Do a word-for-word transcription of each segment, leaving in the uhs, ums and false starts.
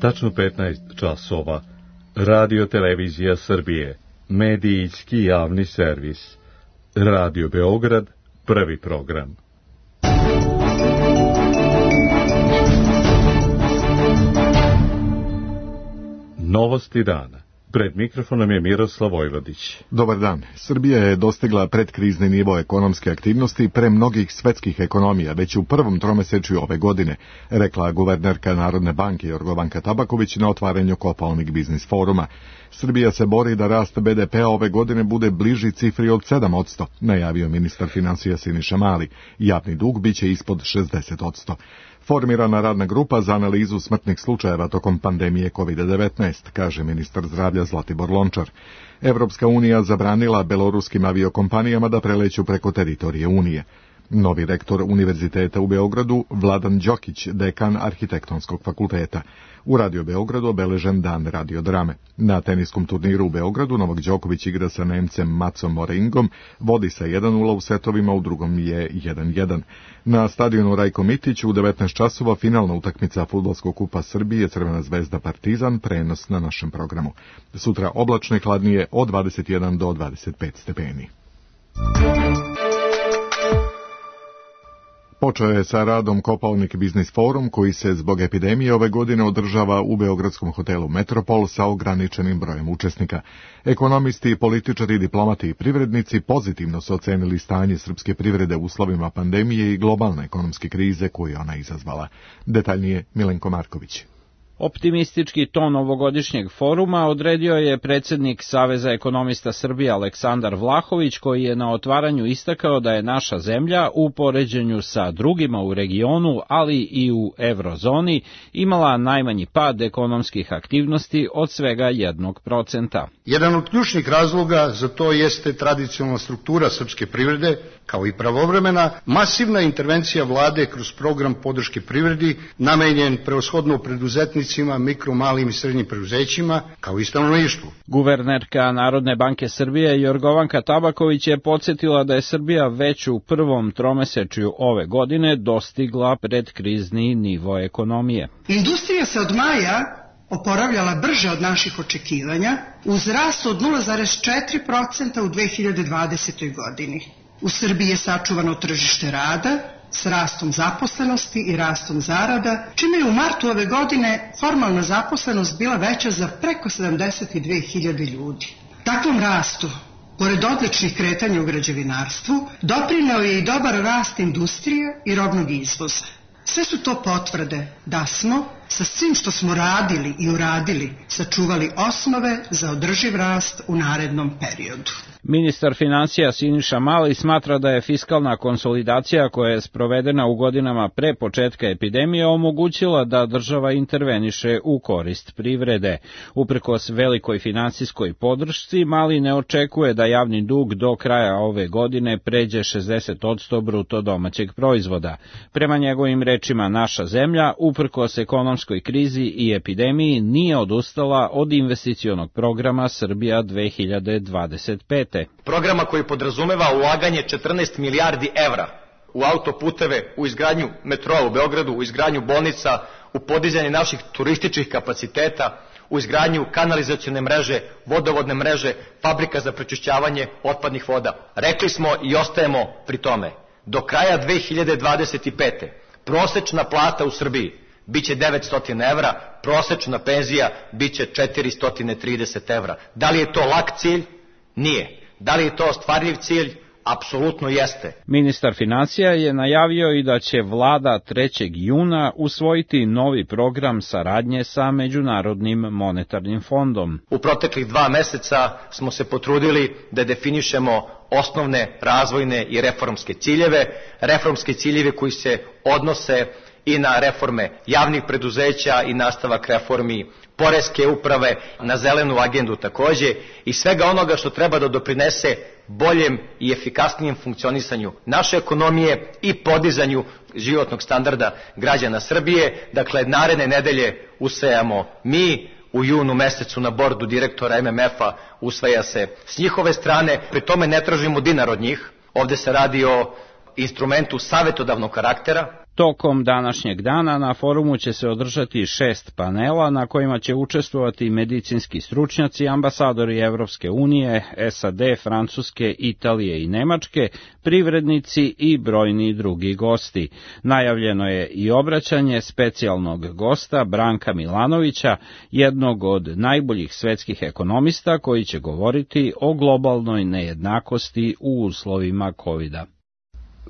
tačno petnaest časova. Radio Televizija Srbije, medijski javni servis. Radio Beograd, prvi program. Novosti dana. Pred mikrofonom je Miroslav Vojvodić. Dobar dan. Srbija je dostigla predkrizni nivo ekonomske aktivnosti pre mnogih svetskih ekonomija već u prvom tromesečju ove godine, rekla guvernerka Narodne banke Jorgovanka Tabaković na otvaranju Kopaonik biznis foruma. Srbija se bori da rast be de pe-a ove godine bude bliži cifri od sedam posto, najavio ministar finansija Siniša Mali. Javni dug biće ispod šezdeset posto. Formirana radna grupa za analizu smrtnih slučajeva tokom pandemije kovid devetnaest, kaže ministar zdravlja Zlatibor Lončar. Evropska unija zabranila beloruskim aviokompanijama da preleću preko teritorije Unije. Novi rektor Univerziteta u Beogradu, Vladan Đokić, dekan Arhitektonskog fakulteta. U Radio Beogradu obeležen dan radiodrame. Na teniskom turniru u Beogradu Novak Đoković igra sa Nemcem Macom Moringom, vodi sa jedan nula u setovima, u drugom je jedan jedan. Na stadionu Rajko Mitić u devetnaest časova finalna utakmica Fudbalskog kupa Srbije Crvena zvezda Partizan, prenos na našem programu. Sutra oblačno i hladnije od dvadeset jedan do dvadeset pet stepeni. Počeo je sa radom Kopaonik biznis forum, koji se zbog epidemije ove godine održava u beogradskom hotelu Metropol sa ograničenim brojem učesnika. Ekonomisti, političari, diplomati i privrednici pozitivno su ocenili stanje srpske privrede u uslovima pandemije i globalne ekonomske krize koju ona izazvala. Detaljnije Milenko Marković. Optimistički ton ovogodišnjeg foruma odredio je predsjednik Saveza ekonomista Srbije Aleksandar Vlahović, koji je na otvaranju istakao da je naša zemlja u poređenju sa drugima u regionu, ali i u eurozoni, imala najmanji pad ekonomskih aktivnosti od svega jednog procenta. Jedan od ključnih razloga za to jeste tradicionalna struktura srpske privrede, kao i pravovremena, masivna intervencija vlade kroz program podrške privredi, namenjen prevashodno preduzetnicima, mikro, malim i srednjim preduzećima, kao i stanovništvu. Guvernerka Narodne banke Srbije Jorgovanka Tabaković je podsjetila da je Srbija već u prvom tromesečju ove godine dostigla predkrizni nivo ekonomije. Industrija se od maja oporavljala brže od naših očekivanja, uz rast od nula zarez četiri procenta u dve hiljade dvadesetoj. godini. U Srbiji je sačuvano tržište rada s rastom zaposlenosti i rastom zarada, čime je u martu ove godine formalna zaposlenost bila veća za preko sedamdeset dve hiljade ljudi. Takvom rastu, pored odličnih kretanja u građevinarstvu, doprineo je i dobar rast industrije i robnog izvoza. Sve su to potvrde da smo, sa svim što smo radili i uradili, sačuvali osnove za održiv rast u narednom periodu. Ministar finansija Siniša Mali smatra da je fiskalna konsolidacija koja je sprovedena u godinama pre početka epidemije omogućila da država interveniše u korist privrede. Uprkos velikoj finansijskoj podršci, Mali ne očekuje da javni dug do kraja ove godine pređe šezdeset posto bruto domaćeg proizvoda. Prema njegovim rečima, naša zemlja, uprkos ekonomskoj krizi i epidemiji, nije odustala od investicionog programa Srbija dve hiljade dvadeset pete. Programa koji podrazumeva ulaganje četrnaest milijardi evra u autoputeve, u izgradnju metroa u Beogradu, u izgradnju bolnica, u podizanje naših turističkih kapaciteta, u izgradnju kanalizacione mreže, vodovodne mreže, fabrika za prečišćavanje otpadnih voda. Rekli smo i ostajemo pri tome. Do kraja dve hiljade dvadeset pete. prosečna plata u Srbiji biće devetsto evra, prosečna penzija biće četiristo trideset evra. Da li je to lak cilj? Nije. Da li je to ostvarljiv cilj? Apsolutno jeste. Ministar finansija je najavio i da će vlada trećeg juna usvojiti novi program saradnje sa Međunarodnim monetarnim fondom. U proteklih dva meseca smo se potrudili da definišemo osnovne razvojne i reformske ciljeve, reformske ciljeve koji se odnose i na reforme javnih preduzeća i nastavak reformi poreske uprave, na zelenu agendu takođe i svega onoga što treba da doprinese boljem i efikasnijem funkcionisanju naše ekonomije i podizanju životnog standarda građana Srbije. Dakle, naredne nedelje usvajamo mi, u junu mesecu na bordu direktora em em ef-a usvaja se s njihove strane, pri tome ne tražimo dinar od njih, ovde se radi o instrumentu savjetodavnog karaktera. Tokom današnjeg dana na forumu će se održati šest panela na kojima će učestvovati medicinski stručnjaci, ambasadori Evropske unije, S A D, Francuske, Italije i Nemačke, privrednici i brojni drugi gosti. Najavljeno je i obraćanje specijalnog gosta Branka Milanovića, jednog od najboljih svetskih ekonomista koji će govoriti o globalnoj nejednakosti u uslovima kovida.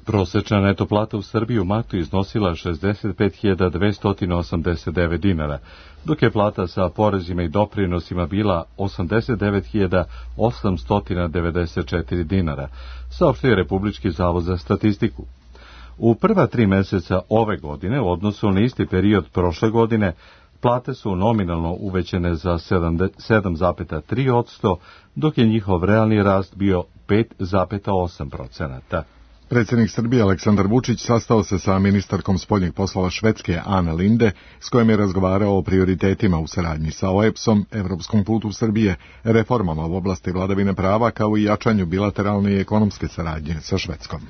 Prosečna neto plata u Srbiji u martu iznosila šezdeset pet hiljada dvesta osamdeset devet dinara, dok je plata sa porezima i doprinosima bila osamdeset devet hiljada osamsto devedeset četiri dinara, saopštio Republički zavod za statistiku. U prva tri meseca ove godine, u odnosu na isti period prošle godine, plate su nominalno uvećane za sedam zarez tri posto, dok je njihov realni rast bio pet zarez osam posto. Predsjednik Srbije Aleksandar Vučić sastao se sa ministarkom spoljnih poslova Švedske Ane Linde, s kojom je razgovarao o prioritetima u saradnji sa O E B S-om, Evropskom putu Srbije, reformama u oblasti vladavine prava, kao i jačanju bilateralne i ekonomske saradnje sa Švedskom.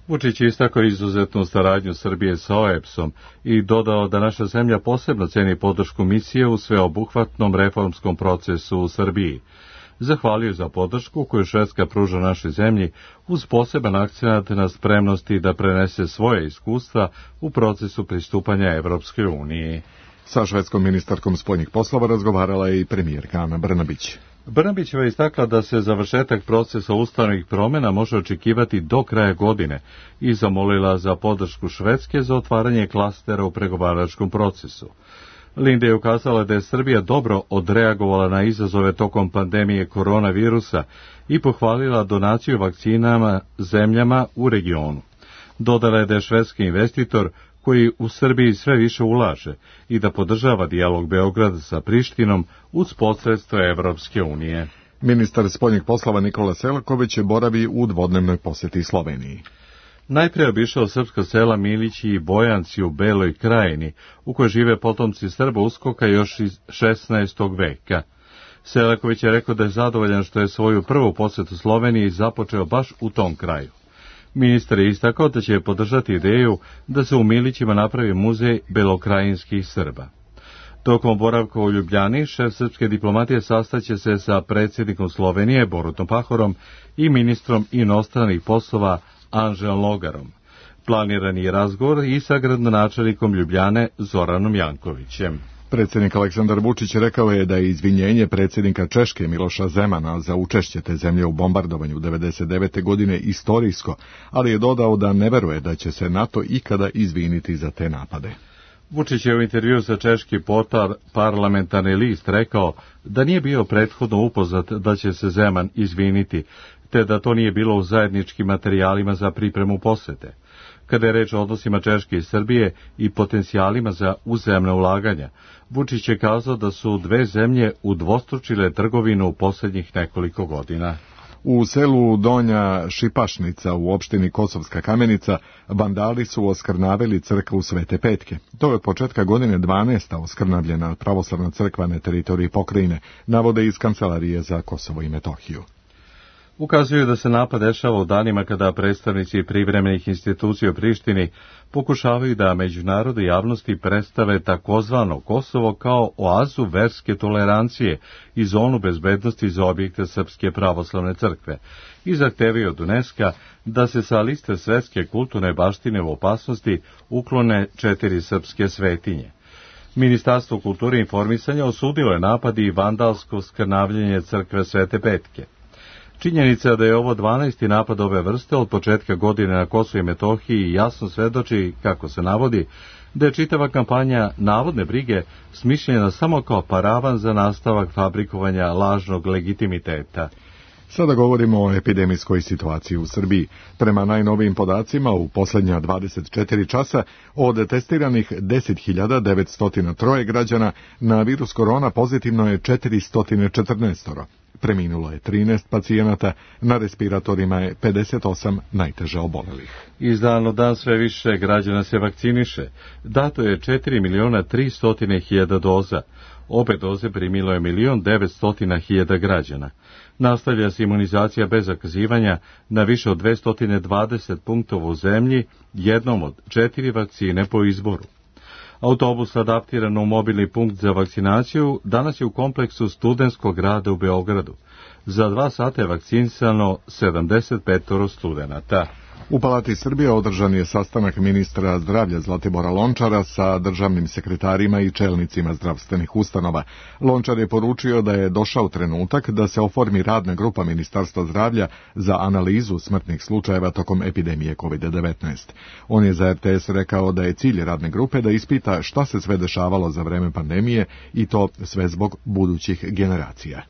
Vučić je istakao izuzetnu saradnju Srbije sa O E B S-om i dodao da naša zemlja posebno ceni podršku misije u sveobuhvatnom reformskom procesu u Srbiji. Zahvalio za podršku koju Švedska pruža našoj zemlji uz poseban akcenat na spremnosti da prenese svoje iskustva u procesu pristupanja Evropskoj uniji. Sa švedskom ministarkom spoljnih poslova razgovarala je i premijerka Ana Brnabić. Brnabićeva je istakla da se završetak procesa ustavnih promjena može očekivati do kraja godine i zamolila za podršku Švedske za otvaranje klastera u pregovaračkom procesu. Linde je ukazala da je Srbija dobro odreagovala na izazove tokom pandemije koronavirusa i pohvalila donaciju vakcinama zemljama u regionu. Dodala je da je švedski investitor koji u Srbiji sve više ulaže i da podržava dijalog Beograda sa Prištinom uz posredstvo Evropske unije. Ministar spoljnih poslova Nikola Selaković boravi u dvodnevnoj posjeti Sloveniji. Najprije obišao srpska sela Milići i Bojanci u Beloj Krajini, u kojoj žive potomci Srba uskoka još iz šesnaestog veka. Selaković je rekao da je zadovoljan što je svoju prvu posjetu Sloveniji započeo baš u tom kraju. Ministar je istakao da će podržati ideju da se u Milićima napravi muzej belokrajinskih Srba. Tokom boravka u Ljubljani, šef srpske diplomatije sastaće se sa predsjednikom Slovenije Borutom Pahorom i ministrom inostranih poslova Anželom Logarom. Planiran je razgovor i sa gradonačelnikom Ljubljane Zoranom Jankovićem. Predsjednik Aleksandar Vučić rekao je da je izvinjenje predsjednika Češke Miloša Zemana za učešće te zemlje u bombardovanju devedeset devete godine istorijsko, ali je dodao da ne veruje da će se NATO ikada izviniti za te napade. Vučić je u intervju sa češki portal Parlamentarni list rekao da nije bio prethodno upoznat da će se Zeman izviniti, te da to nije bilo u zajedničkim materijalima za pripremu posete. Kada je reč o odnosima Češke i Srbije i potencijalima za uzajamna ulaganja, Vučić je kazao da su dve zemlje udvostručile trgovinu u posljednjih nekoliko godina. U selu Donja Šipašnica u opštini Kosovska Kamenica vandali su oskrnavili crkvu Svete Petke. To je od početka godine dvanaesta oskrnavljena pravoslavna crkva na teritoriji pokrajine, navode iz Kancelarije za Kosovo i Metohiju. Ukazuju da se napad dešava u danima kada predstavnici privremenih institucija u Prištini pokušavaju da međunarodnoj javnosti predstave takozvano Kosovo kao oazu verske tolerancije i zonu bezbednosti za objekte Srpske pravoslavne crkve i zahtevaju od UNESCO da se sa liste svetske kulturne baštine u opasnosti uklone četiri srpske svetinje. Ministarstvo kulture i informisanja osudilo je napad i vandalsko skrnavljenje crkve Svete Petke. Činjenica da je ovo dvanaesti napad ove vrste od početka godine na Kosovu i Metohiji jasno svedoči, kako se navodi, da je čitava kampanja navodne brige smišljena samo kao paravan za nastavak fabrikovanja lažnog legitimiteta. Sada govorimo o epidemijskoj situaciji u Srbiji. Prema najnovijim podacima, u posljednja dvadeset četiri časa od testiranih deset hiljada devetsto tri građana na virus korona pozitivno je četiristo četrnaest. Preminulo je trinaest pacijenata, na respiratorima je pedeset osam najteže obolelih. Iz dana u dan sve više građana se vakciniše. Dato je četiri miliona tristo hiljada doza. Obe doze primilo je milion devetsto hiljada građana. Nastavlja se imunizacija bez zakazivanja na više od dvesta dvadeset punktova u zemlji, jednom od četiri vakcine po izboru. Autobus adaptiran u mobilni punkt za vakcinaciju danas je u kompleksu Studentskog grada u Beogradu. Za dva sata je vakcinisano sedamdeset pet studenata. U Palati Srbije održan je sastanak ministra zdravlja Zlatibora Lončara sa državnim sekretarima i čelnicima zdravstvenih ustanova. Lončar je poručio da je došao trenutak da se oformi radna grupa Ministarstva zdravlja za analizu smrtnih slučajeva tokom epidemije kovid devetnaest. On je za er te es rekao da je cilj radne grupe da ispita šta se sve dešavalo za vreme pandemije i to sve zbog budućih generacija.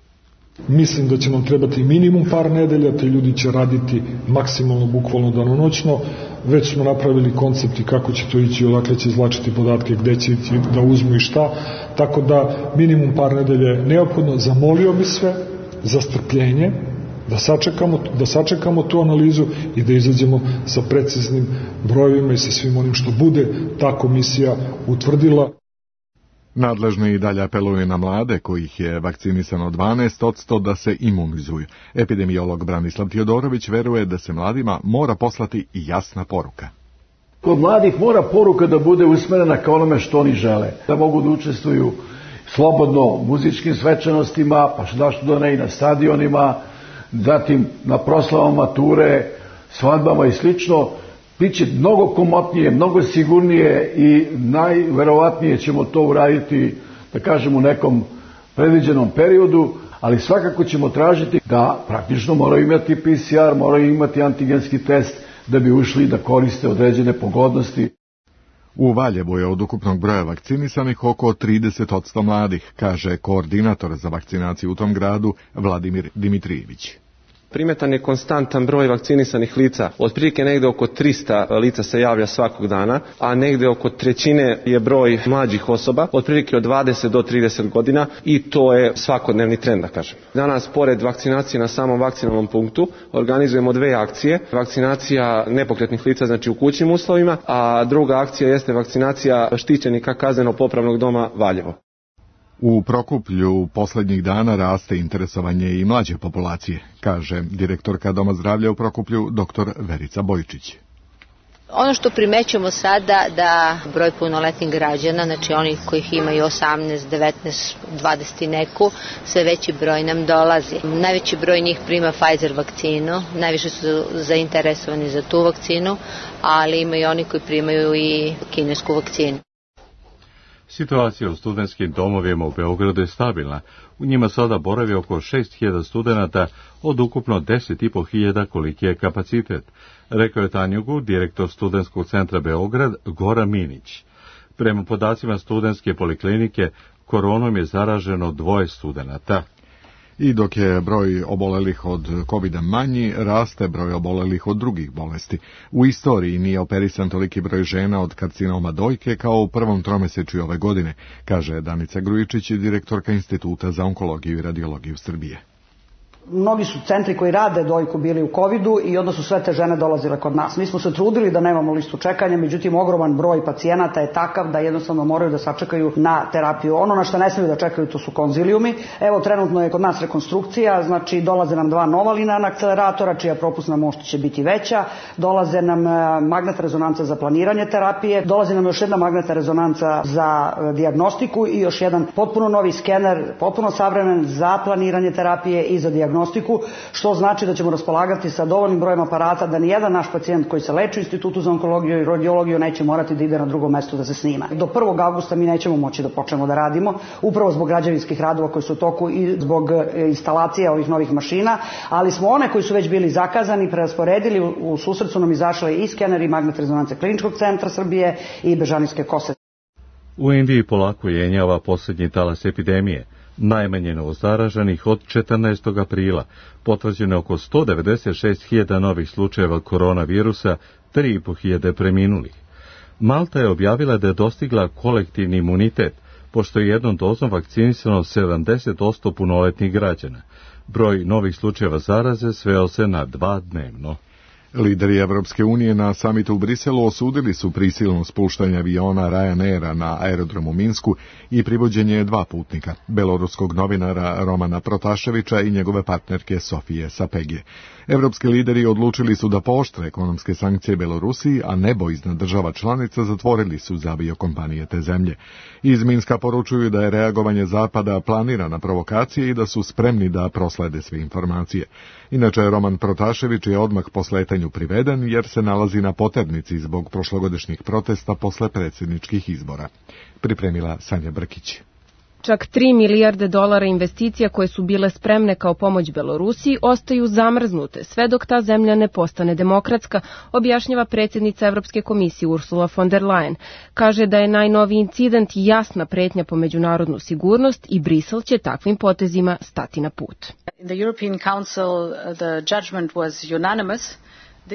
Mislim da će nam trebati minimum par nedelja, te ljudi će raditi maksimalno, bukvalno danonoćno. Već smo napravili koncepti kako će to ići, odakle će izvlačiti podatke, gde će ići da uzmu i šta. Tako da minimum par nedelja je neophodno. Zamolio bi sve za strpljenje, da sačekamo, da sačekamo tu analizu i da izađemo sa preciznim brojevima i sa svim onim što bude ta komisija utvrdila. Nadležni i dalje apeluju na mlade, kojih je vakcinisano dvanaest posto, da se imunizuju. Epidemiolog Branislav Tijodorović veruje da se mladima mora poslati jasna poruka. Kod mladih mora poruka da bude usmerena ka onome što oni žele. Da mogu da učestvuju slobodno u muzičkim svečanostima, pa što da ne i na stadionima, zatim na proslavama mature, svadbama i slično. Biće mnogo komotnije, mnogo sigurnije i najverovatnije ćemo to uraditi, da kažem, u nekom predviđenom periodu, ali svakako ćemo tražiti da praktično moraju imati pe ce er, moraju imati antigenski test da bi ušli da koriste određene pogodnosti. U Valjevu je od ukupnog broja vakcinisanih oko trideset posto mladih, kaže koordinator za vakcinaciju u tom gradu Vladimir Dimitrijević. Primetan je konstantan broj vakcinisanih lica, otprilike negde oko trista lica se javlja svakog dana, a negde oko trećine je broj mlađih osoba, otprilike od dvadeset do trideset godina i to je svakodnevni trend, da kažem. Danas, pored vakcinacije na samom vakcinalnom punktu, organizujemo dve akcije. Vakcinacija nepokretnih lica, znači u kućnim uslovima, a druga akcija jeste vakcinacija štićenika kazneno-popravnog doma Valjevo. U Prokuplju poslednjih dana raste interesovanje i mlađe populacije, kaže direktorka Doma zdravlja u Prokuplju, doktor Verica Bojčić. Ono što primećujemo sada da broj punoletnih građana, znači oni kojih imaju osamnaest, devetnaest, dvadeset i neku, sve veći broj nam dolazi. Najveći broj njih prima Pfizer vakcinu, najviše su zainteresovani za tu vakcinu, ali ima i oni koji primaju i kinesku vakcinu. Situacija u studentskim domovima u Beogradu je stabilna. U njima sada boravi oko šest hiljada studenata od ukupno deset i po hiljada koliki je kapacitet, rekao je Tanjugu direktor Studentskog centra Beograd Goran Minić. Prema podacima studentske poliklinike, koronom je zaraženo dvoje studenata. I dok je broj obolelih od kovida manji, raste broj obolelih od drugih bolesti. U istoriji nije operisan toliki broj žena od karcinoma dojke kao u prvom tromesečju ove godine, kaže Danica Grujičić, direktorka Instituta za onkologiju i radiologiju Srbije. Mnogi su centri koji rade dojku bili u covidu i onda su sve te žene dolazile kod nas. Mi smo se trudili da nemamo listu čekanja, međutim ogroman broj pacijenata je takav da jednostavno moraju da sačekaju na terapiju. Ono na što ne smiju da čekaju to su konzilijumi. Evo trenutno je kod nas rekonstrukcija, znači dolaze nam dva nova linearna akceleratora čija propusna moć će biti veća, dolaze nam magnetna rezonanca za planiranje terapije, dolazi nam još jedna magnetna rezonanca za dijagnostiku i još jedan potpuno novi skener, potpuno savremen za planiranje terapije i za dijagnostiku, što znači da ćemo raspolagati sa dovoljnim brojem aparata da nijedan naš pacijent koji se leči u Institutu za onkologiju i radiologiju neće morati da ide na drugo mesto da se snima. Do prvog avgusta mi nećemo moći da počnemo da radimo, upravo zbog građevinskih radova koji su u toku i zbog instalacije ovih novih mašina, ali smo one koji su već bili zakazani prerasporedili, u susret su nam izašle i skeneri i magnetne rezonance Kliničkog centra Srbije i Bežanijske kose. U Indiji polako jenjava posljednji talas epidemije. Najmanje novozaraženih od četrnaestog aprila, potvrđeno oko sto devedeset šest hiljada novih slučajeva koronavirusa, tri i po hiljade preminulih. Malta je objavila da je dostigla kolektivni imunitet, pošto je jednom dozom vakcinisano sedamdeset posto punoletnih građana. Broj novih slučajeva zaraze sveo se na dva dnevno. Lideri Evropske unije na samitu u Briselu osudili su prisilno spuštanje aviona Ryanaira na aerodromu Minsku i privođenje dva putnika, beloruskog novinara Romana Protaševića i njegove partnerke Sofije Sapegije. Evropski lideri odlučili su da pooštre ekonomske sankcije Belorusiji, a nebo iznad država članica zatvorili su za aviokompanije te zemlje. Iz Minska poručuju da je reagovanje Zapada planirana provokacija i da su spremni da proslede sve informacije. Inače, Roman Protašević je odmah po sletanju priveden jer se nalazi na poternici zbog prošlogodišnjih protesta posle predsjedničkih izbora. Pripremila Sanja Brkić. Čak tri milijarde dolara investicija koje su bile spremne kao pomoć Belorusiji ostaju zamrznute sve dok ta zemlja ne postane demokratska, objašnjava predsjednica Evropske komisije Ursula von der Leyen. Kaže da je najnoviji incident jasna pretnja po međunarodnu sigurnost i Brisel će takvim potezima stati na put. In the European Council, the judgment was unanimous.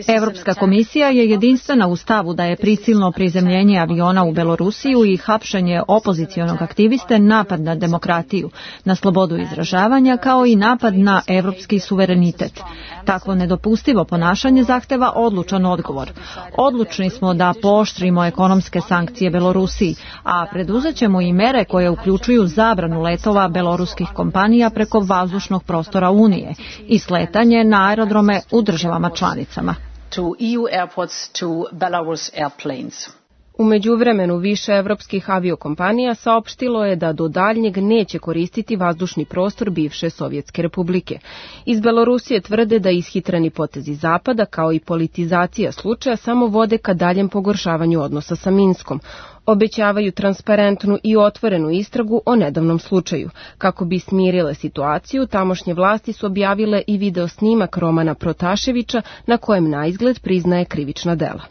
Evropska komisija je jedinstvena u stavu da je prisilno prizemljenje aviona u Belorusiju i hapšenje opozicionog aktiviste napad na demokratiju, na slobodu izražavanja kao i napad na evropski suverenitet. Takvo nedopustivo ponašanje zahteva odlučan odgovor. Odlučni smo da pooštrimo ekonomske sankcije Belorusiji, a preduzet ćemo i mere koje uključuju zabranu letova beloruskih kompanija preko vazdušnog prostora Unije i sletanje na aerodrome u državama članicama. To E U airports to Belarus airplanes. U međuvremenu više evropskih aviokompanija saopštilo je da do daljnjeg neće koristiti vazdušni prostor bivše Sovjetske republike. Iz Belorusije tvrde da ishitreni potezi Zapada kao i politizacija slučaja samo vode ka daljem pogoršavanju odnosa sa Minskom. Obećavaju transparentnu i otvorenu istragu o nedavnom slučaju. Kako bi smirile situaciju, tamošnje vlasti su objavile i video snimak Romana Protaševića na kojem naizgled priznaje krivična dela.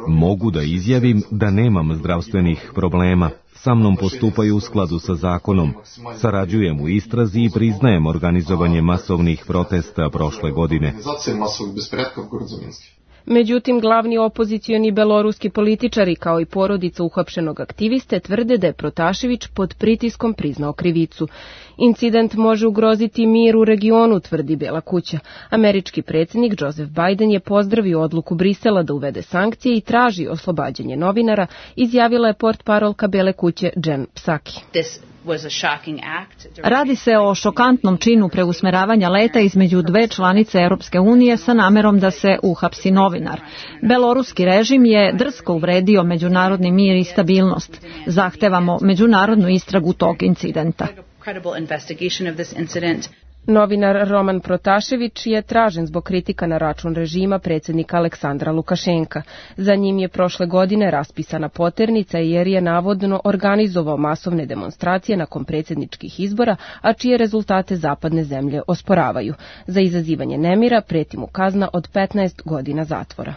Mogu da izjavim da nemam zdravstvenih problema. Sa mnom postupaju u skladu sa zakonom. Sarađujem u istrazi i priznajem organizovanje masovnih protesta prošle godine. Međutim, glavni opozicioni beloruski političari kao i porodica uhapšenog aktiviste tvrde da je Protašević pod pritiskom priznao krivicu. Incident može ugroziti mir u regionu, tvrdi Bela kuća. Američki predsjednik Joseph Biden je pozdravio odluku Brisela da uvede sankcije i traži oslobađanje novinara, izjavila je portparolka Bele kuće Jen Psaki. Radi se o šokantnom činu preusmeravanja leta između dve članice Europske unije sa namerom da se uhapsi novinar. Beloruski režim je drsko uvredio međunarodni mir i stabilnost. Zahtevamo međunarodnu istragu tog incidenta. Novinar Roman Protašević je tražen zbog kritika na račun režima predsjednika Aleksandra Lukašenka. Za njim je prošle godine raspisana poternica jer je navodno organizovao masovne demonstracije nakon predsjedničkih izbora, a čije rezultate zapadne zemlje osporavaju. Za izazivanje nemira preti mu kazna od petnaest godina zatvora.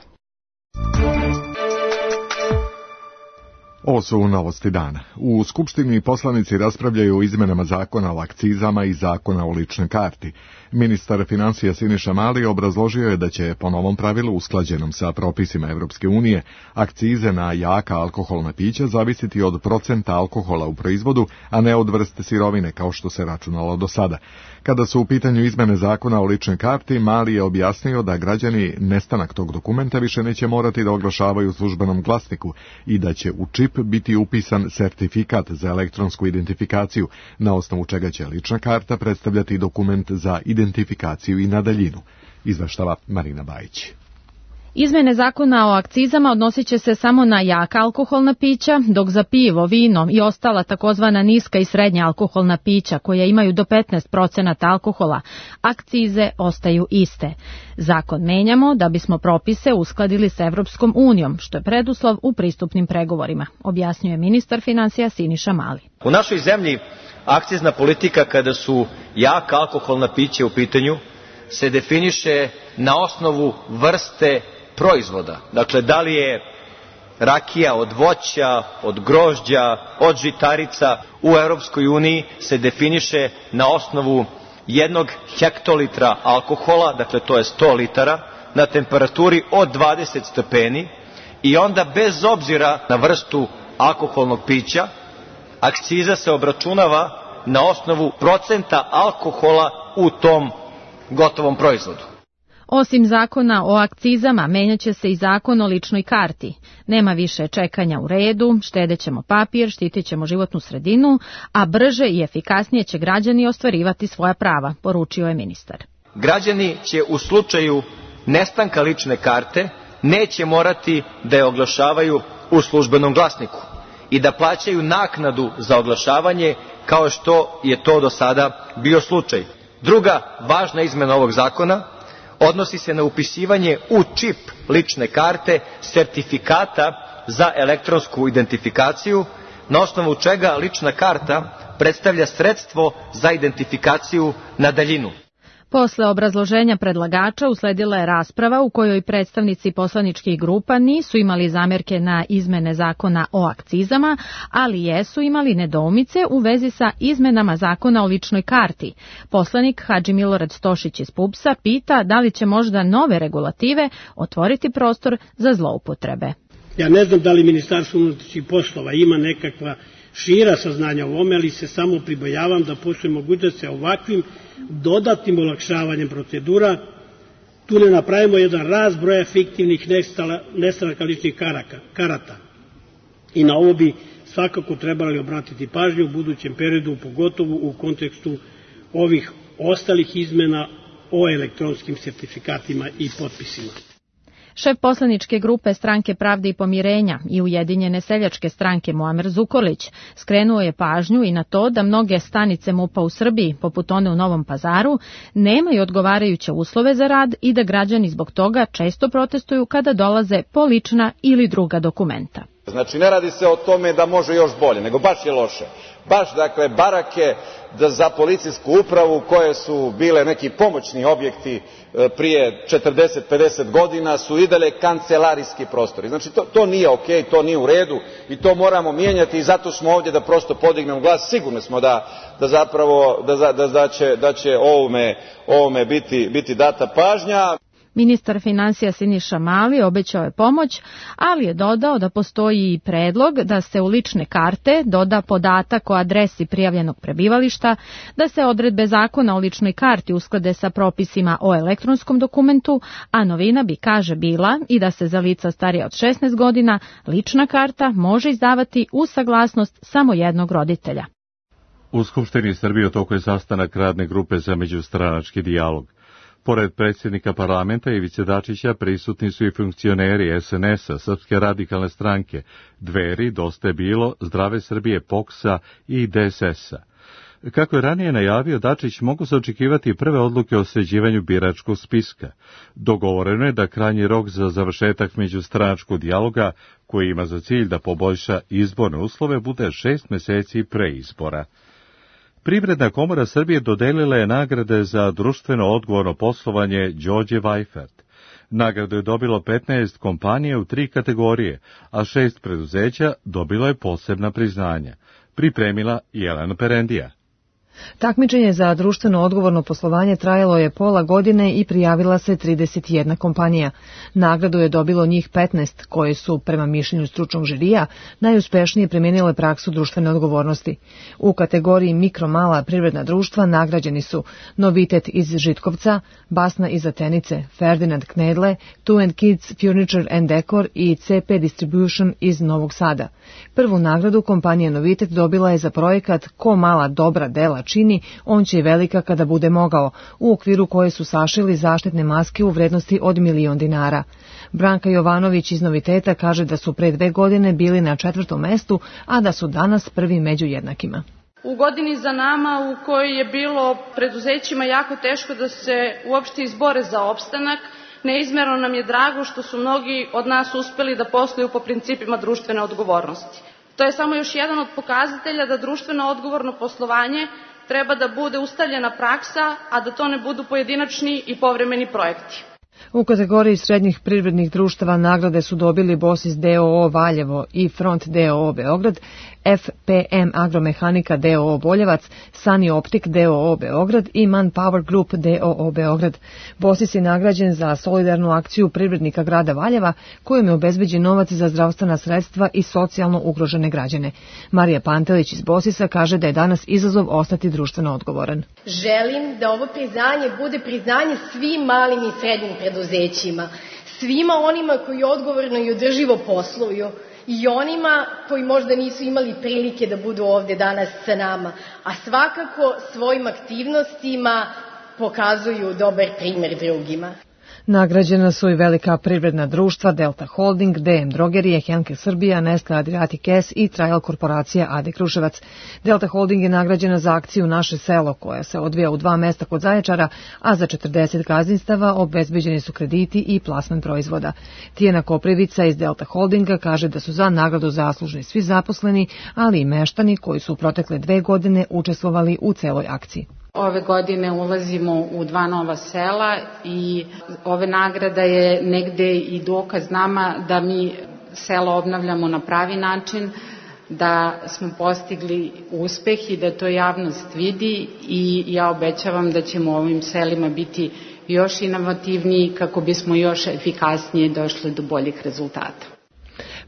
Ovo su novosti dana. U Skupštini poslanici raspravljaju o izmenama zakona o akcizama i zakona o ličnoj karti. Ministar financija Siniša Mali obrazložio je da će po novom pravilu usklađenom sa propisima Evropske unije akcize na jaka alkoholna pića zavisiti od procenta alkohola u proizvodu, a ne od vrste sirovine kao što se računalo do sada. Kada su u pitanju izmene zakona o ličnoj karti, Mali je objasnio da građani nestanak tog dokumenta više neće morati da oglašavaju u službenom glasniku i da će u čip biti upisan sertifikat za elektronsku identifikaciju, na osnovu čega će lična karta predstavljati dokument za identifikaciju i na daljinu, izveštava Marina Bajić. Izmene zakona o akcizama odnosit će se samo na jaka alkoholna pića, dok za pivo, vino i ostala takozvana niska i srednja alkoholna pića koja imaju do petnaest procenata alkohola, akcize ostaju iste. Zakon menjamo da bismo propise uskladili s Evropskom unijom, što je preduslov u pristupnim pregovorima, objasnjuje ministar financija Siniša Mali. U našoj zemlji akcizna politika kada su jaka alkoholna pića u pitanju se definiše na osnovu vrste proizvoda. Dakle, da li je rakija od voća, od grožđa, od žitarica, u Europskoj uniji se definiše na osnovu jednog hektolitra alkohola, dakle to je sto litara, na temperaturi od dvadeset stepeni i onda bez obzira na vrstu alkoholnog pića, akciza se obračunava na osnovu procenta alkohola u tom gotovom proizvodu. Osim zakona o akcizama, menjaće se i zakon o ličnoj karti. Nema više čekanja u redu, štedećemo papir, štitit ćemo životnu sredinu, a brže i efikasnije će građani ostvarivati svoja prava, poručio je ministar. Građani će u slučaju nestanka lične karte neće morati da je oglašavaju u službenom glasniku i da plaćaju naknadu za oglašavanje kao što je to do sada bio slučaj. Druga važna izmena ovog zakona odnosi se na upisivanje u čip lične karte sertifikata za elektronsku identifikaciju, na osnovu čega lična karta predstavlja sredstvo za identifikaciju na daljinu. Posle obrazloženja predlagača usledila je rasprava u kojoj predstavnici poslaničkih grupa nisu imali zamerke na izmene zakona o akcizama, ali jesu imali nedoumice u vezi sa izmenama zakona o ličnoj karti. Poslanik Hadži Milorad Stošić iz P U P S-a pita da li će možda nove regulative otvoriti prostor za zloupotrebe. Ja ne znam da li Ministarstvo unutrašnjih poslova ima nekakva šira saznanja o ovome, ali se samo pribojavam da postoji mogućnost da se ovakvim dodatnim olakšavanjem procedura tu ne napravimo jedan rast broja fiktivnih nestanaka ličnih karata. I na ovo bi svakako trebali obratiti pažnju u budućem periodu, pogotovo u kontekstu ovih ostalih izmena o elektronskim sertifikatima i potpisima. Šef poslaničke grupe Stranke pravde i pomirenja i Ujedinjene seljačke stranke Muamer Zukorlić skrenuo je pažnju i na to da mnoge stanice M U P-a u Srbiji, poput one u Novom Pazaru, nemaju odgovarajuće uslove za rad i da građani zbog toga često protestuju kada dolaze po lična ili druga dokumenta. Znači, ne radi se o tome da može još bolje, nego baš je loše. Baš, dakle, barake za policijsku upravu koje su bile neki pomoćni objekti prije četrdeset pedeset godina su i dalje kancelarijski prostori. Znači, to, to nije okej, to nije u redu i to moramo mijenjati i zato smo ovdje da prosto podignemo glas. Sigurni smo da, da zapravo da, da, da će, da će ovome, ovome biti, biti data pažnja. Ministar finansija Siniša Mali obećao je pomoć, ali je dodao da postoji i predlog da se u lične karte doda podatak o adresi prijavljenog prebivališta, da se odredbe zakona o ličnoj karti usklade sa propisima o elektronskom dokumentu, a novina bi, kaže, bila i da se za lica starija od šesnaest godina lična karta može izdavati uz saglasnost samo jednog roditelja. U Skupštini Srbije u toku je sastanak radne grupe za međustranački dijalog. Pored predsjednika parlamenta Ivice Dačića prisutni su i funkcioneri S N S-a, Srpske radikalne stranke, Dveri, Dosta je bilo, Zdrave Srbije, P O K S-a i D S S-a. Kako je ranije najavio Dačić, mogu se očekivati prve odluke o sređivanju biračkog spiska. Dogovoreno je da krajnji rok za završetak međustranačkog dijaloga, koji ima za cilj da poboljša izborne uslove, bude šest meseci pre izbora. Privredna komora Srbije dodelila je nagrade za društveno odgovorno poslovanje Đorđe Vajfert. Nagradu je dobilo petnaest kompanija u tri kategorije, a šest preduzeća dobilo je posebna priznanja. Pripremila Jelena Perendija. Takmičenje za društveno odgovorno poslovanje trajalo je pola godine i prijavila se trideset jedna kompanija. Nagradu je dobilo njih petnaest, koje su, prema mišljenju stručnog žirija, najuspešnije primijenile praksu društvene odgovornosti. U kategoriji mikro-mala privredna društva nagrađeni su Novitet iz Žitkovca, Basna iz Atenice, Ferdinand Knedle, Two and Kids Furniture and Decor i C P Distribution iz Novog Sada. Prvu nagradu kompanija Novitet dobila je za projekat Ko mala dobra dela čini, on će i velika kada bude mogao, u okviru koje su sašili zaštitne maske u vrednosti od milion dinara. Branka Jovanović iz Noviteta kaže da su pre dve godine bili na četvrtom mestu, a da su danas prvi među jednakima. U godini za nama u kojoj je bilo preduzećima jako teško da se uopšte izbore za opstanak, neizmerno nam je drago što su mnogi od nas uspeli da posluju po principima društvene odgovornosti. To je samo još jedan od pokazatelja da društveno odgovorno poslovanje treba da bude ustaljena praksa, a da to ne budu pojedinačni i povremeni projekti. U kategoriji srednjih privrednih društava nagrade su dobili Bosis d o o Valjevo i Front d o o Beograd, F P M Agromehanika d o o Boljevac, Sunny Optik d o o Beograd i Manpower Group d o o Beograd. Bosis je nagrađen za solidarnu akciju privrednika grada Valjeva, kojom je obezbeđen novac za zdravstvena sredstva i socijalno ugrožene građane. Marija Pantelić iz Bosisa kaže da je danas izazov ostati društveno odgovoran. Želim da ovo priznanje bude priznanje svim malim i srednjim preduzećima, svima onima koji odgovorno i održivo posluju i onima koji možda nisu imali prilike da budu ovde danas sa nama, a svakako svojim aktivnostima pokazuju dobar primer drugima. Nagrađena su i velika privredna društva Delta Holding, D M Drogerije, Henkel Srbija, Nestle Adriatic S i Trajal korporacija A D Kruševac. Delta Holding je nagrađena za akciju Naše selo, koja se odvija u dva mesta kod Zaječara, a za četrdeset gazdinstava obezbeđeni su krediti i plasman proizvoda. Tijana Koprivica iz Delta Holdinga kaže da su za nagradu zaslužni svi zaposleni, ali i meštani koji su u protekle dve godine učestvovali u celoj akciji. Ove godine ulazimo u dva nova sela i ove nagrada je negde i dokaz nama da mi selo obnavljamo na pravi način, da smo postigli uspeh i da to javnost vidi i ja obećavam da ćemo u ovim selima biti još inovativniji kako bismo još efikasnije došli do boljih rezultata.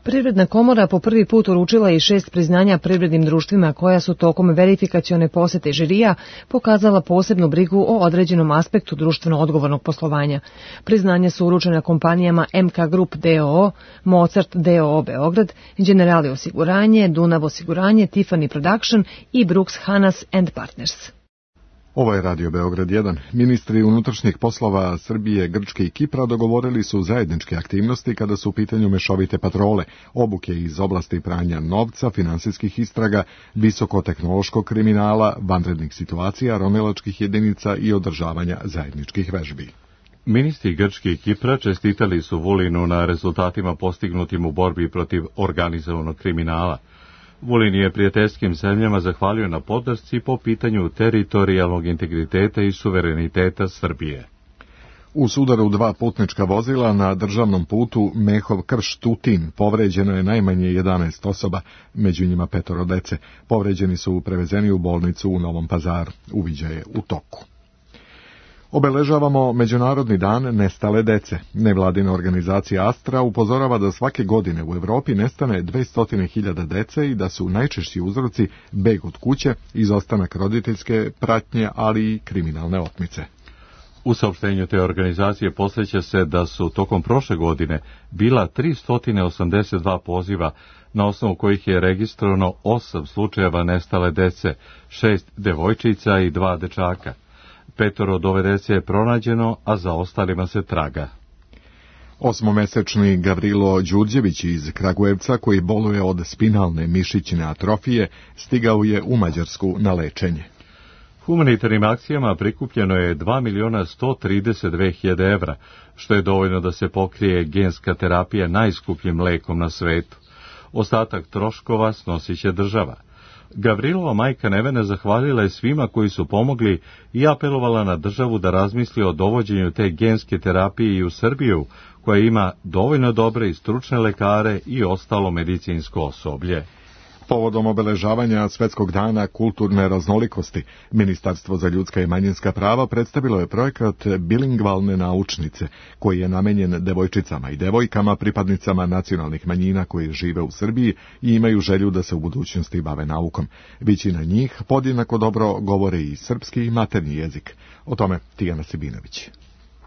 Privredna komora po prvi put uručila i šest priznanja privrednim društvima koja su tokom verifikacione posete žirija pokazala posebnu brigu o određenom aspektu društveno odgovornog poslovanja. Priznanja su uručena kompanijama M K Group d o o, Mozart d o o Beograd, Generali osiguranje, Dunav osiguranje, Tiffany Production i Brooks Hanas and Partners. Ovo je Radio Beograd jedan. Ministri unutrašnjih poslova Srbije, Grčke i Kipra dogovorili su zajedničke aktivnosti kada su u pitanju mešovite patrole, obuke iz oblasti pranja novca, finansijskih istraga, visokotehnološkog kriminala, vanrednih situacija, ronilačkih jedinica i održavanja zajedničkih vežbi. Ministri Grčke i Kipra čestitali su Vulinu na rezultatima postignutim u borbi protiv organizovanog kriminala. Vulin je prijateljskim zemljama zahvalio na podršci po pitanju teritorijalnog integriteta i suvereniteta Srbije. U sudaru dva putnička vozila na državnom putu Mehov-Krš-Tutin povređeno je najmanje jedanaest osoba, među njima petoro dece. Povređeni su prevezeni u bolnicu u Novom Pazaru. Uviđaj je u toku. Obeležavamo Međunarodni dan nestale dece. Nevladina organizacija Astra upozorava da svake godine u Evropi nestane dvesta hiljada dece i da su najčešći uzroci beg od kuće, izostanak roditeljske pratnje, ali i kriminalne otmice. U saopštenju te organizacije posveća se da su tokom prošle godine bila tristo osamdeset dva poziva, na osnovu kojih je registrovano osam slučajeva nestale dece, šest devojčica i dva dečaka. Petoro od ove dece je pronađeno, a za ostalima se traga. Osmomesečni Gavrilo Đurđević iz Kragujevca, koji boluje od spinalne mišićne atrofije, stigao je u Mađarsku na lečenje. Humanitarnim akcijama prikupljeno je dva miliona sto trideset dve hiljade evra, što je dovoljno da se pokrije genska terapija najskupljim lekom na svetu. Ostatak troškova snosit će država. Gavrilova majka Nevena zahvalila je svima koji su pomogli i apelovala na državu da razmisli o dovođenju te genske terapije i u Srbiju, koja ima dovoljno dobre i stručne lekare i ostalo medicinsko osoblje. Povodom obeležavanja Svetskog dana kulturne raznolikosti, Ministarstvo za ljudska i manjinska prava predstavilo je projekat Bilingvalne naučnice, koji je namenjen devojčicama i devojkama, pripadnicama nacionalnih manjina koji žive u Srbiji i imaju želju da se u budućnosti bave naukom. Većina njih podjednako dobro govore i srpski i maternji jezik. O tome Tijana Sibinović.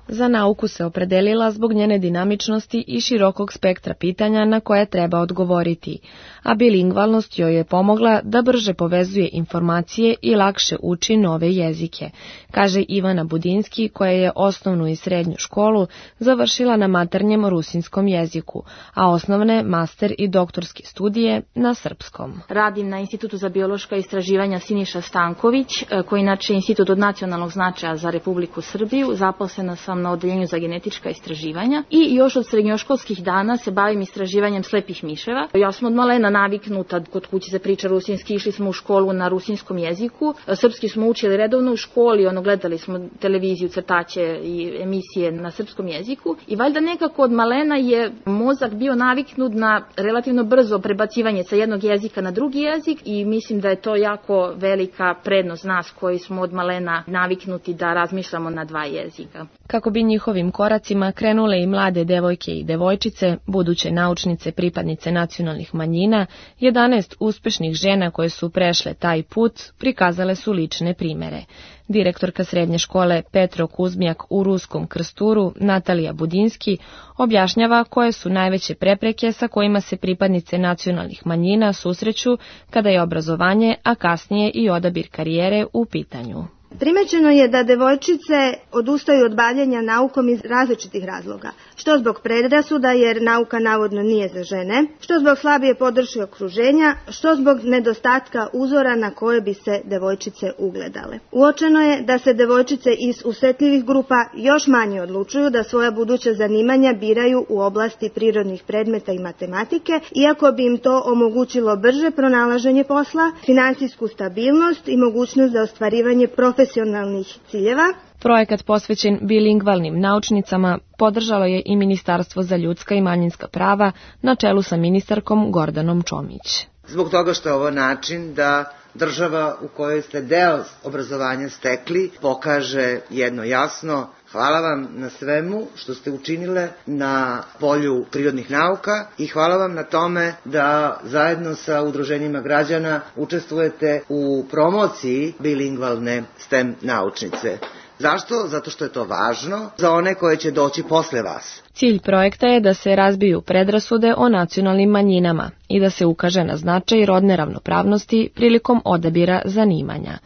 Za nauku se opredelila zbog njene dinamičnosti i širokog spektra pitanja na koje treba odgovoriti, a bilingvalnost joj je pomogla da brže povezuje informacije i lakše uči nove jezike, kaže Ivana Budinski, koja je osnovnu i srednju školu završila na maternjem rusinskom jeziku, a osnovne, master i doktorske studije na srpskom. Radim na Institutu za biološka istraživanja Siniša Stanković, koji inače je institut od nacionalnog značaja za Republiku Srbiju. Zaposlena sam sam na odeljenju za genetička istraživanja i još od srednjoškolskih dana se bavim istraživanjem slepih miševa. Ja sam od malena naviknuta, kod kuće se priča rusinski, išli smo u školu na rusinskom jeziku, srpski smo učili redovno u školi, ono, gledali smo televiziju, crtaće i emisije na srpskom jeziku i valjda nekako od malena je mozak bio naviknut na relativno brzo prebacivanje sa jednog jezika na drugi jezik i mislim da je to jako velika prednost nas koji smo od malena naviknuti da razmišljamo na dva jezika. Kako bi njihovim koracima krenule i mlade devojke i devojčice, buduće naučnice, pripadnice nacionalnih manjina, jedanaest uspešnih žena koje su prešle taj put prikazale su lične primere. Direktorka srednje škole Petro Kuzmijak u Ruskom Krsturu, Natalija Budinski, objašnjava koje su najveće prepreke sa kojima se pripadnice nacionalnih manjina susreću kada je obrazovanje, a kasnije i odabir karijere u pitanju. Primećeno je da devojčice odustaju od bavljenja naukom iz različitih razloga, što zbog predrasuda jer nauka navodno nije za žene, što zbog slabije podrške okruženja, što zbog nedostatka uzora na koje bi se devojčice ugledale. Uočeno je da se devojčice iz osetljivih grupa još manje odlučuju da svoja buduća zanimanja biraju u oblasti prirodnih predmeta i matematike, iako bi im to omogućilo brže pronalaženje posla, finansijsku stabilnost i mogućnost za ostvarivanje profesionalnih profesionalnih ciljeva. Projekat posvećen bilingvalnim naučnicama podržalo je i Ministarstvo za ljudska i manjinska prava na čelu sa ministarkom Gordanom Čomić. Zbog toga što je ovo način da država u kojoj ste deo obrazovanja stekli pokaže jedno jasno: hvala vam na svemu što ste učinile na polju prirodnih nauka i hvala vam na tome da zajedno sa udruženjima građana učestvujete u promociji bilingvalne STEM naučnice. Zašto? Zato što je to važno za one koje će doći posle vas. Cilj projekta je da se razbiju predrasude o nacionalnim manjinama i da se ukaže na značaj rodne ravnopravnosti prilikom odabira zanimanja.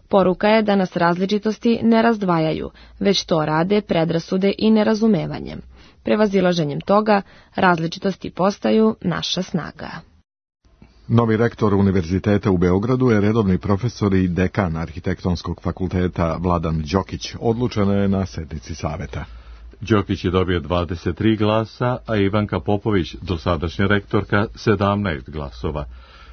Poruka je da nas različitosti ne razdvajaju, već to rade predrasude i nerazumevanjem. Prevazilaženjem toga, različitosti postaju naša snaga. Novi rektor Univerziteta u Beogradu je redovni profesor i dekan Arhitektonskog fakulteta Vladan Đokić. Odlučeno je na sednici saveta. Đokić je dobio dvadeset tri glasa, a Ivanka Popović, dosadašnja rektorka, sedamnaest glasova.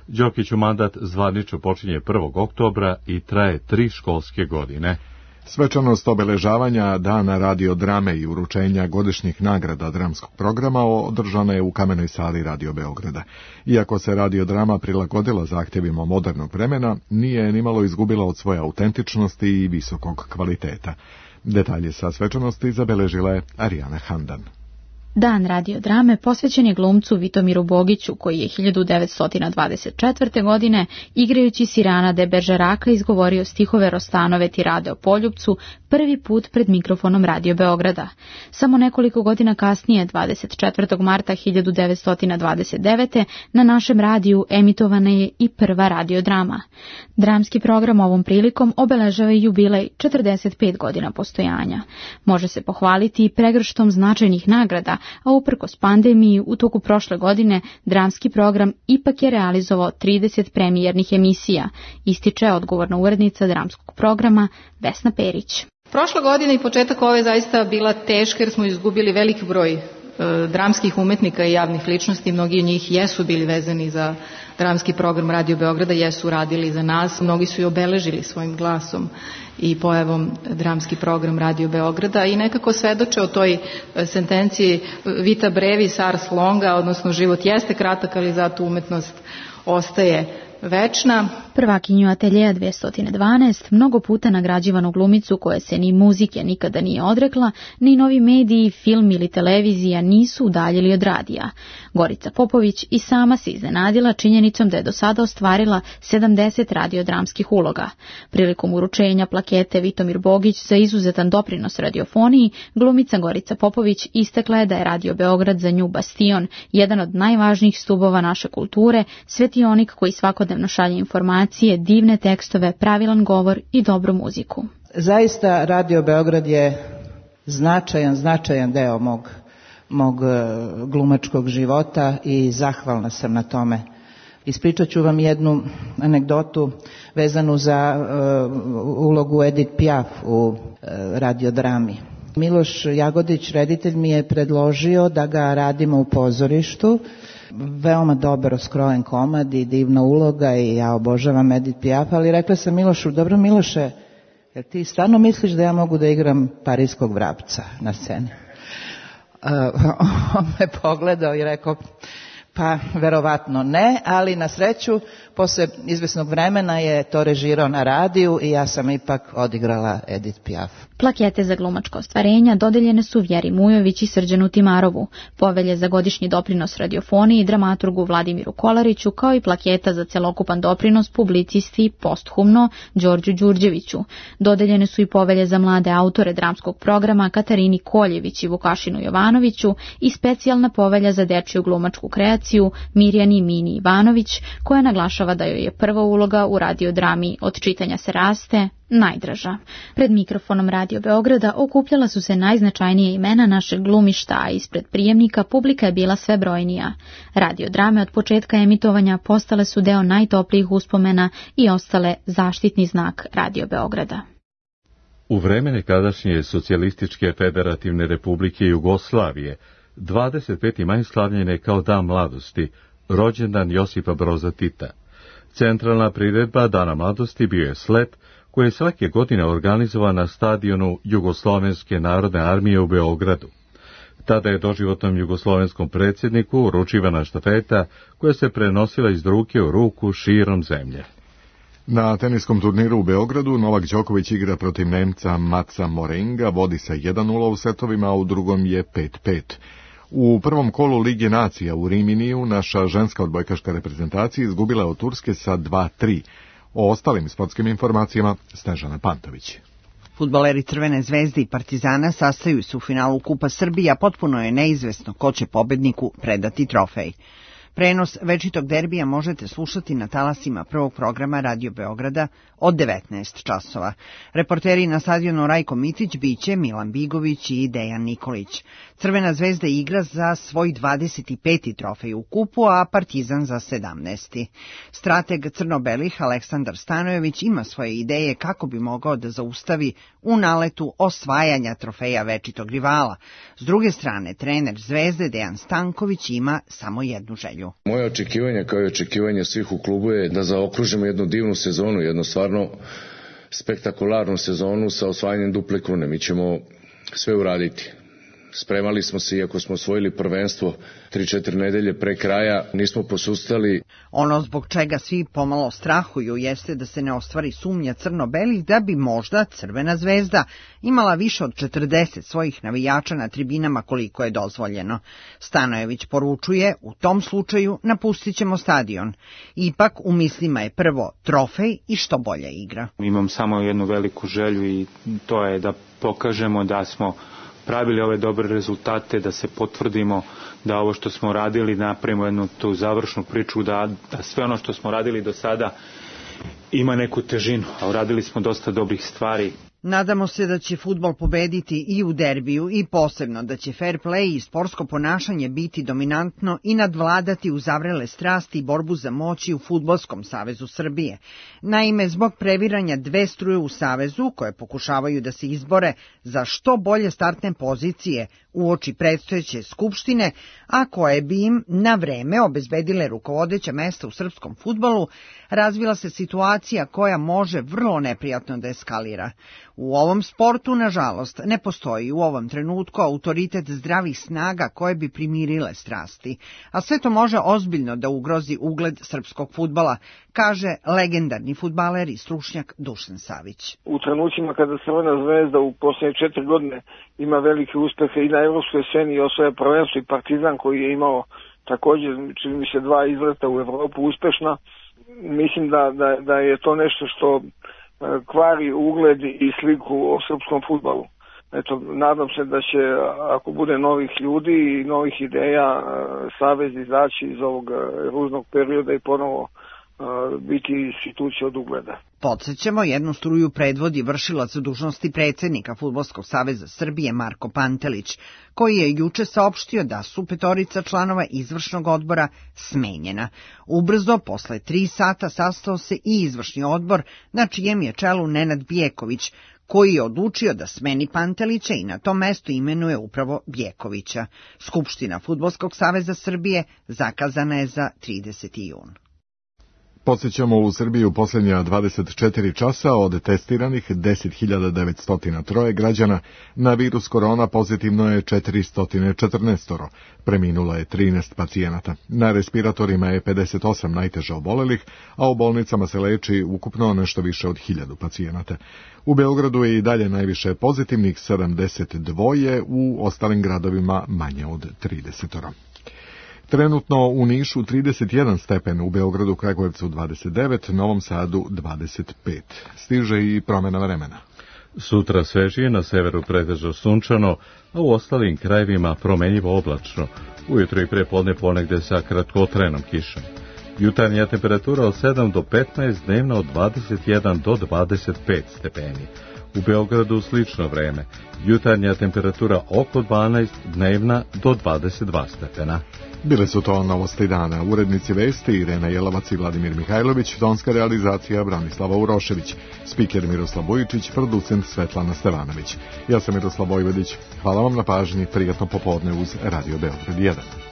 Đokiću mandat zvanično počinje prvog oktobra i traje tri školske godine. Svečanost obeležavanja Dana radiodrame i uručenja godišnjih nagrada dramskog programa održana je u Kamenoj sali Radio Beograda. Iako se radiodrama prilagodila zahtjevima modernog vremena, nije nimalo izgubila od svoje autentičnosti i visokog kvaliteta. Detalje sa svečanosti zabeležila je Arijana Handan. Dan radiodrame posvećen je glumcu Vitomiru Bogiću, koji je hiljadu devetsto dvadeset četvrte. godine, igrajući Sirana de Beržeraka, izgovorio stihove Rostanove tirade o Poljupcu prvi put pred mikrofonom Radio Beograda. Samo nekoliko godina kasnije, dvadeset četvrtog marta hiljadu devetsto dvadeset devete. na našem radiju emitovana je i prva radiodrama. Dramski program ovom prilikom obeležava jubilej četrdeset pet godina postojanja. Može se pohvaliti i pregrštom značajnih nagrada, a uprkos pandemiji u toku prošle godine dramski program ipak je realizovao trideset premijernih emisija, ističe odgovorna urednica dramskog programa Vesna Perić. Prošla godina i početak ove zaista bila teška jer smo izgubili veliki broj e, dramskih umetnika i javnih ličnosti. Mnogi od njih jesu bili vezani za dramski program Radio Beograda, jesu radili za nas. Mnogi su i obeležili svojim glasom i pojavom dramski program Radio Beograda i nekako svedoče o toj sentenciji vita brevis ars longa, odnosno život jeste kratak, ali zato umetnost ostaje večna. Prvakinju ateljeja dvesta dvanaest, mnogo puta nagrađivanu glumicu koja se ni muzike nikada nije odrekla, ni novi mediji, film ili televizija nisu udaljili od radija. Gorica Popović i sama se iznenadila činjenicom da je do sada ostvarila sedamdeset radiodramskih uloga. Prilikom uručenja plakete Vitomir Bogić za izuzetan doprinos radiofoniji, glumica Gorica Popović istakla je da je Radio Beograd za nju bastion, jedan od najvažnijih stubova naše kulture, svetionik koji svakodnevno šalje informacije, divne tekstove, pravilan govor i dobru muziku. Zaista Radio Beograd je značajan, značajan deo mog, mog glumačkog života i zahvalna sam na tome. Ispričat ću vam jednu anegdotu vezanu za uh, ulogu Edith Piaf u uh, radiodrami. Miloš Jagodić, reditelj, mi je predložio da ga radimo u pozorištu. Veoma dobro skrojen komad i divna uloga i ja obožavam Edith Piaf, ali rekla sam Milošu, dobro Miloše, jer ti stvarno misliš da ja mogu da igram parijskog vrapca na sceni? Uh, on me pogledao i rekao, pa verovatno ne, ali na sreću posle izvesnog vremena je to režirao na radiju i ja sam ipak odigrala Edith Piaf. Plakete za glumačko ostvarenja dodeljene su Vjeri Mujović i Srđanu Timarovu, povelje za godišnji doprinos radiofoniji i dramaturgu Vladimiru Kolariću, kao i plaketa za celokupan doprinos publicisti posthumno Đorđu Đurđeviću. Dodeljene su i povelje za mlade autore dramskog programa Katarini Koljević i Vukašinu Jovanoviću i specijalna povelja za dečiju glumačku kreaciju Mirjani Mini Ivanović, koja naglašava da joj je prva uloga u radiodrami Od čitanja se raste najdraža. Pred mikrofonom Radio Beograda okupljala su se najznačajnije imena našeg glumišta, a ispred prijemnika publika je bila sve brojnija. Radiodrame od početka emitovanja postale su deo najtoplijih uspomena i ostale zaštitni znak Radio Beograda. U vreme nekadašnje Socijalističke federativne republike Jugoslavije, dvadeset peti maj slavljen je kao Dan mladosti, rođendan Josipa Broza Tita. Centralna priredba Dana mladosti bio je slet koji je svake godine organizovan na stadionu Jugoslovenske narodne armije u Beogradu. Tada je doživotnom jugoslovenskom predsjedniku uručivana štafeta koja se prenosila iz ruke u ruku širom zemlje. Na teniskom turniru u Beogradu Novak Đoković igra protiv Nemca Matsa Morenga, vodi sa jedan nula u setovima, a u drugom je pet pet. U prvom kolu Lige nacija u Riminiju naša ženska odbojkaška reprezentacija izgubila od Turske sa dva tri. O ostalim sportskim informacijama Snežana Pantović. Fudbaleri Crvene zvezde i Partizana sastaju se u finalu Kupa Srbija, potpuno je neizvesno ko će pobedniku predati trofej. Prenos večitog derbija možete slušati na talasima prvog programa Radio Beograda od devetnaest časova. Reporteri na stadionu Rajko Mitić biće Milan Bigović i Dejan Nikolić. Crvena zvezda igra za svoj dvadeset peti trofej u kupu, a Partizan za sedamnaesti. Strateg crno-belih Aleksandar Stanojević ima svoje ideje kako bi mogao da zaustavi u naletu osvajanja trofeja večitog rivala. S druge strane, trener Zvezde Dejan Stanković ima samo jednu želju. Moje očekivanje, kao i očekivanje svih u klubu, je da zaokružimo jednu divnu sezonu, jednu stvarno spektakularnu sezonu sa osvajanjem duple krune. Mi ćemo sve uraditi. Spremali smo se, iako smo osvojili prvenstvo tri četiri nedelje pre kraja, nismo posustali. Ono zbog čega svi pomalo strahuju jeste da se ne ostvari sumnja crno-belih da bi možda Crvena zvezda imala više od četrdeset svojih navijača na tribinama koliko je dozvoljeno. Stanojević poručuje, u tom slučaju napustit ćemo stadion. Ipak u mislima je prvo trofej i što bolja igra. Imam samo jednu veliku želju i to je da pokažemo da smo pravili ove dobre rezultate, da se potvrdimo da ovo što smo radili, napravimo jednu tu završnu priču, da, da sve ono što smo radili do sada ima neku težinu, a uradili smo dosta dobrih stvari. Nadamo se da će fudbal pobediti i u derbiju i posebno da će fair play i sportsko ponašanje biti dominantno i nadvladati uzavrele strasti i borbu za moći u Fudbalskom savezu Srbije. Naime, zbog previranja dve struje u savezu koje pokušavaju da se izbore za što bolje startne pozicije uoči predstojeće skupštine, a koje bi im na vreme obezbedile rukovodeća mesta u srpskom fudbalu, razvila se situacija koja može vrlo neprijatno da eskalira. U ovom sportu, nažalost, ne postoji u ovom trenutku autoritet zdravih snaga koje bi primirile strasti, a sve to može ozbiljno da ugrozi ugled srpskog fudbala, kaže legendarni fudbaler i stručnjak Dušan Savić. U trenucima kada Crvena zvezda u posljednje četiri godine ima velike uspehe i na evropskoj sceni i osvaja prvenstvo i Partizan koji je imao također, čini mi se, dva izleta u Evropu uspešna, mislim da, da, da je to nešto što kvari ugled i sliku o srpskom fudbalu. Eto, nadam se da će, ako bude novih ljudi i novih ideja, savez izaći iz ovog ružnog perioda i ponovo biti institucija od ugleda. Podsjećamo, jednu struju predvodi vršilac dužnosti predsjednika Fudbalskog saveza Srbije Marko Pantelić, koji je juče saopštio da su petorica članova izvršnog odbora smenjena. Ubrzo, posle tri sata, sastao se i izvršni odbor, na čijem je čelu Nenad Bijeković, koji je odlučio da smeni Pantelića i na to mesto imenuje upravo Bjekovića. Skupština Fudbalskog saveza Srbije zakazana je za trideseti jun. Podsjećamo, u Srbiji u posljednja dvadeset četiri časa od testiranih deset hiljada devetsto tri građana na virus korona pozitivno je četiristo četrnaest, preminulo je trinaest pacijenata. Na respiratorima je pedeset osam najteže obolelih, a u bolnicama se leči ukupno nešto više od hiljadu pacijenata. U Beogradu je i dalje najviše pozitivnih, sedamdeset dva, u ostalim gradovima manje od trideset. Trenutno u Nišu trideset jedan stepen, u Beogradu, Kragujevcu dvadeset devet, Novom Sadu dvadeset pet. Stiže i promjena vremena. Sutra svežije, na severu pretežno sunčano, a u ostalim krajevima promenjivo oblačno. Ujutro i prepodne ponegde sa kratkotrenom kišom. Jutarnja temperatura od sedam do petnaest, dnevna od dvadeset jedan do dvadeset pet stepeni. U Beogradu slično vreme. Jutarnja temperatura oko dvanaest, dnevna do dvadeset dva stepena. Bile su to novosti dana. Urednici vesti Irena Jelavac i Vladimir Mihajlović, tonska realizacija Branislava Urošević, spiker Miroslav Vujičić, producent Svetlana Stevanović. Ja sam Miroslav Vojvodić. Hvala vam na pažnji, prijatno popodne uz Radio Beograd jedan.